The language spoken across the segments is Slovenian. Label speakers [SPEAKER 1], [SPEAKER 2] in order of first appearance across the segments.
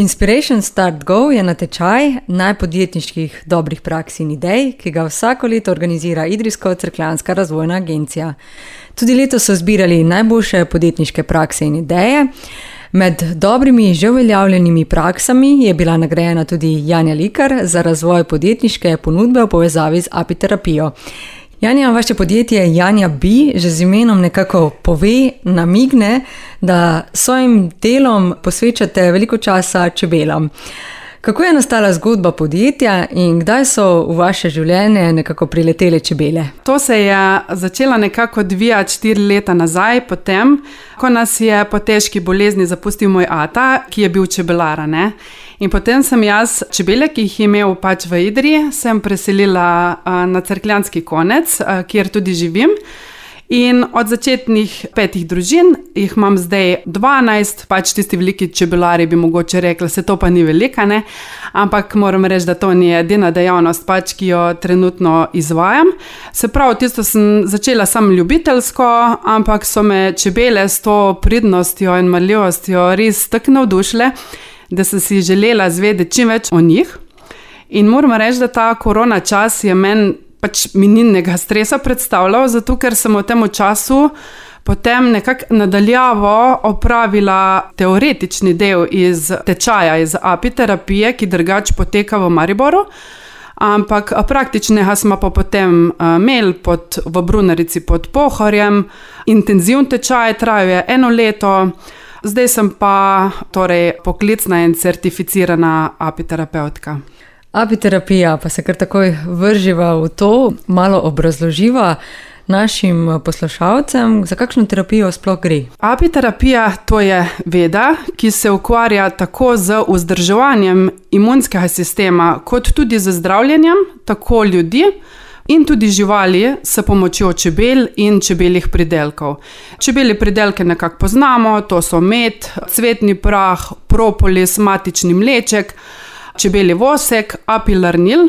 [SPEAKER 1] Inspiration Start Go je natečaj najpodjetniških dobrih praks in idej, ki ga vsako leto organizira Idrijsko-Cerkljanska razvojna agencija. Tudi letos so zbirali najboljše podjetniške prakse in ideje. Med dobrimi že uveljavljenimi praksami je bila nagrajena tudi Janja Likar za razvoj podjetniške ponudbe v povezavi z apiterapijo. Janja, vaše podjetje Janja Bi že z imenom nekako pove, namigne, da svojim delom posvečate veliko časa čebelam. Kako je nastala zgodba podjetja in kdaj so v vaše življenje nekako priletele čebele?
[SPEAKER 2] To se je začelo nekako odvijati 4 leta nazaj, potem, ko nas je po težki bolezni zapustil moj ata, ki je bil čebelar, ne? In potem sem jaz čebele, ki jih je imel pač v Idriji, sem preselila na Cerkljanski konec, kjer tudi živim. In od začetnih 5 družin jih imam zdaj 12, pač tisti veliki čebelari bi mogoče rekla, se to pa ni velika, ne? Ampak moram reči, da to ni edina dejavnost, pač, ki jo trenutno izvajam. Se pravi, tisto sem začela samo ljubiteljsko, ampak so me čebele s to pridnostjo in marljivostjo res tako navdušile, da sem si želela zvedeti čim več o njih. In moram reči, da ta korona čas je meni pač minilnega stresa predstavljal, zato ker sem v tem času potem nekako nadaljavo opravila teoretični del iz tečaja, iz apiterapije, ki drugače poteka v Mariboru, ampak praktičnega smo pa potem imeli v Brunarici pod Pohorjem. Intenzivni tečaj trajajo 1 leto, zdaj sem pa torej poklicna in certificirana apiterapeutka.
[SPEAKER 1] Apiterapija, pa se kar takoj vrživa v to, malo obrazloživa našim poslušalcem, za kakšno terapijo sploh gre.
[SPEAKER 2] Apiterapija to je veda, ki se ukvarja tako z vzdrževanjem imunskega sistema, kot tudi z zdravljenjem, tako ljudi in tudi živali s pomočjo čebel in čebeljih pridelkov. Čebelje pridelke nekako poznamo, to so med, cvetni prah, propolis, matični mleček, čebelji vosek, apilarnil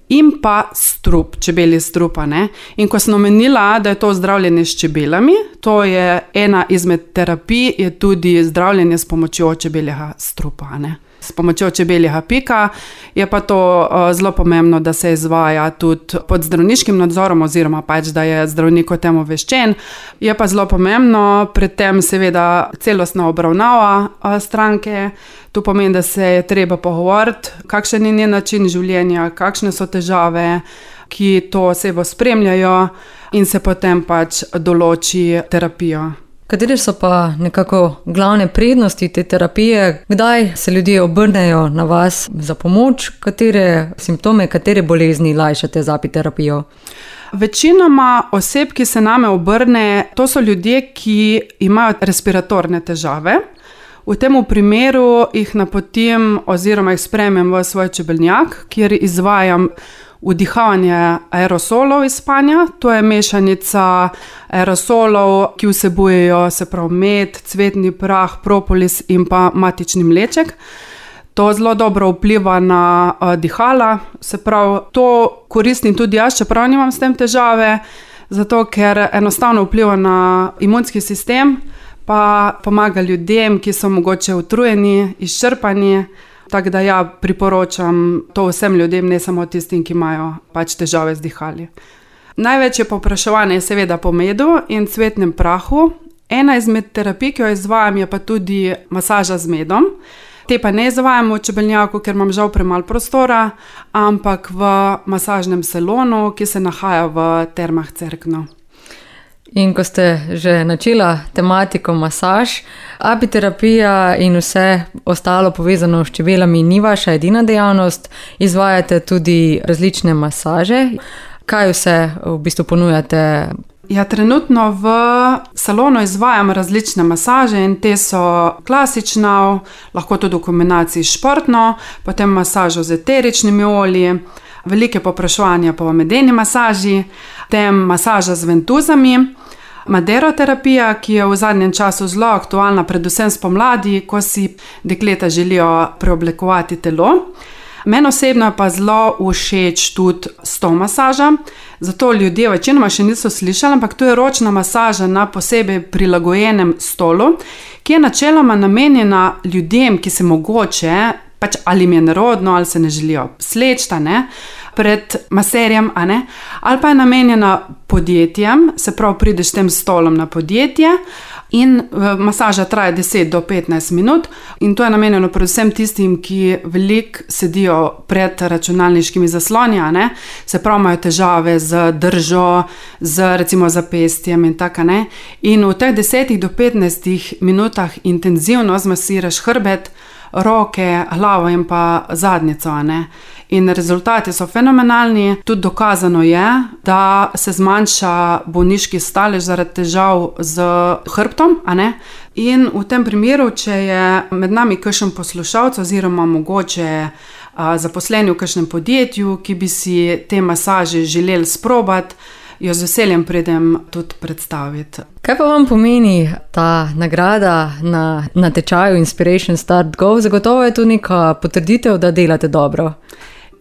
[SPEAKER 2] in pa strup, čebelji strupa, ne. In ko sem omenila, da je to zdravljenje s čebelami, to je ena izmed terapij, je tudi zdravljenje s pomočjo čebeljega strupa, ne. S pomočjo čebeljega pika je pa to zelo pomembno, da se izvaja tudi pod zdravniškim nadzorom oziroma pač, da je zdravnik o tem obveščen. Je pa zelo pomembno, pred tem seveda celostna obravnava stranke. To pomeni, da se je treba pogovoriti, kakšen je njen način življenja, kakšne so težave, ki to osebo spremljajo in se potem pač določi terapijo.
[SPEAKER 1] Katere so pa nekako glavne prednosti te terapije? Kdaj se ljudje obrnejo na vas za pomoč? Katere simptome, katere bolezni lajšate z apiterapijo?
[SPEAKER 2] Večinoma oseb, ki se name obrne, to so ljudje, ki imajo respiratorne težave. V tem primeru jih napotim oziroma jih sprejmem v svoj čebelnjak, kjer izvajam vdihavanje aerosolov iz spanja. To je mešanica aerosolov, ki vsebujejo, se pravi, med, cvetni prah, propolis in pa matični mleček. To zelo dobro vpliva na dihala, se pravi, to koristim tudi jaz, čeprav nimam s tem težave, zato ker enostavno vpliva na imunski sistem, pa pomaga ljudem, ki so mogoče utrujeni, izčrpani. Tako da ja, priporočam to vsem ljudem, ne samo tistim, ki imajo pač težave z dihali. Največje povpraševanje je seveda po medu in cvetnem prahu. Ena izmed terapij, ki jo izvajam, je pa tudi masaža z medom. Te pa ne izvajam v čebelnjaku, ker imam žal premalo prostora, ampak v masažnem salonu, ki se nahaja v Termah Cerkno.
[SPEAKER 1] In ko ste že načela tematiko masaž, apiterapija in vse ostalo povezano s čebelami ni vaša edina dejavnost, izvajate tudi različne masaže. Kaj vse v bistvu ponujate?
[SPEAKER 2] Ja, trenutno v salonu izvajam različne masaže in te so klasična, lahko tudi v kombinaciji športno, potem masažo z eteričnimi olji, velike povpraševanje po medeni masaži, potem masaža z ventuzami, maderoterapija, ki je v zadnjem času zelo aktualna, predvsem spomladi, ko si dekleta želijo preoblikovati telo. Meni osebno je pa zelo všeč tudi stol masaža, zato ljudje večinoma še niso slišali, ampak to je ročna masaža na posebej prilagojenem stolu, ki je načeloma namenjena ljudem, ki se mogoče pač ali jim je nerodno, ali se ne želijo sleči, pred maserjem, ali pa je namenjena podjetjem, se pravi, prideš s tem stolom na podjetje in masaža traja 10 do 15 minut in to je namenjeno predvsem tistim, ki veliko sedijo pred računalniškimi zasloni, se pravi, imajo težave z držo, z recimo zapestjem in tako, in v teh 10 do 15 minutah intenzivno zmasiraš hrbet, roke, glavo in pa zadnjico, In rezultati so fenomenalni. Tudi dokazano je, da se zmanjša bolniški stalež zaradi težav z hrbtom, In v tem primeru, če je med nami kakšen poslušalec oziroma mogoče zaposleni v kakšnem podjetju, ki bi si te masaže želeli sprobati, jo z veseljem pridem tudi predstaviti.
[SPEAKER 1] Kaj pa vam pomeni ta nagrada na natečaju Inspiration Start Go? Zagotovo je to neka potrditev, da delate dobro.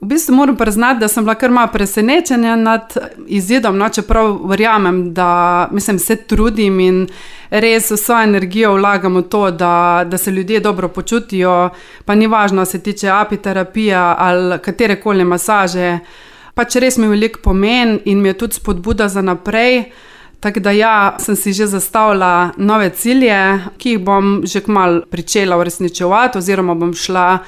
[SPEAKER 2] V bistvu moram priznati, da sem bila kar malo presenečena nad izidom, čeprav verjamem, da se trudim in res vso energijo vlagam v to, da se ljudje dobro počutijo, pa ni važno, se tiče apiterapija ali katerekoli masaže, pač res mi veliko pomen in mi je tudi spodbuda za naprej. Tako da sem si že zastavila nove cilje, ki jih bom že kmalu pričela uresničevati oziroma bom šla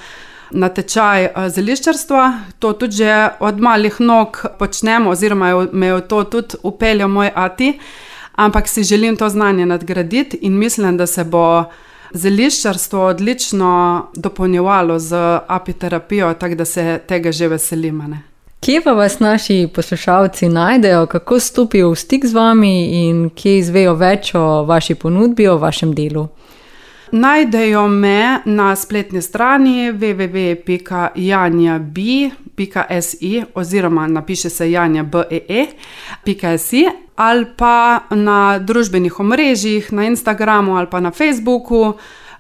[SPEAKER 2] na tečaj zeliščarstva. To tudi že od malih nog počnemo oziroma me je to tudi upeljal moj ati, ampak si želim to znanje nadgraditi in mislim, da se bo zeliščarstvo odlično dopolnjevalo z apiterapijo, tako da se tega že veselim.
[SPEAKER 1] Kje pa vas naši poslušalci najdejo, kako stopijo v stik z vami in kje izvejo več o vaši ponudbi, o vašem delu?
[SPEAKER 2] Najdejo me na spletni strani www.janjab.si oziroma napiše se janjabee.si ali pa na družbenih omrežjih, na Instagramu ali pa na Facebooku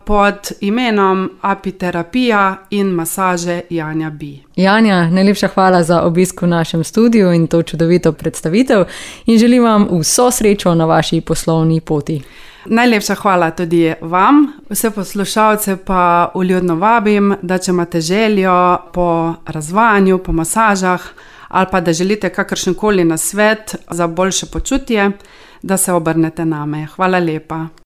[SPEAKER 2] pod imenom Apiterapija in masaže Janja B.
[SPEAKER 1] Janja, najlepša hvala za obisk v našem studiu in to čudovito predstavitev in želim vam vso srečo na vaši poslovni poti.
[SPEAKER 2] Najlepša hvala tudi vam, vse poslušalce pa vljudno vabim, da če imate željo po razvajanju, po masažah ali pa da želite kakršenkoli nasvet za boljše počutje, da se obrnete name. Hvala lepa.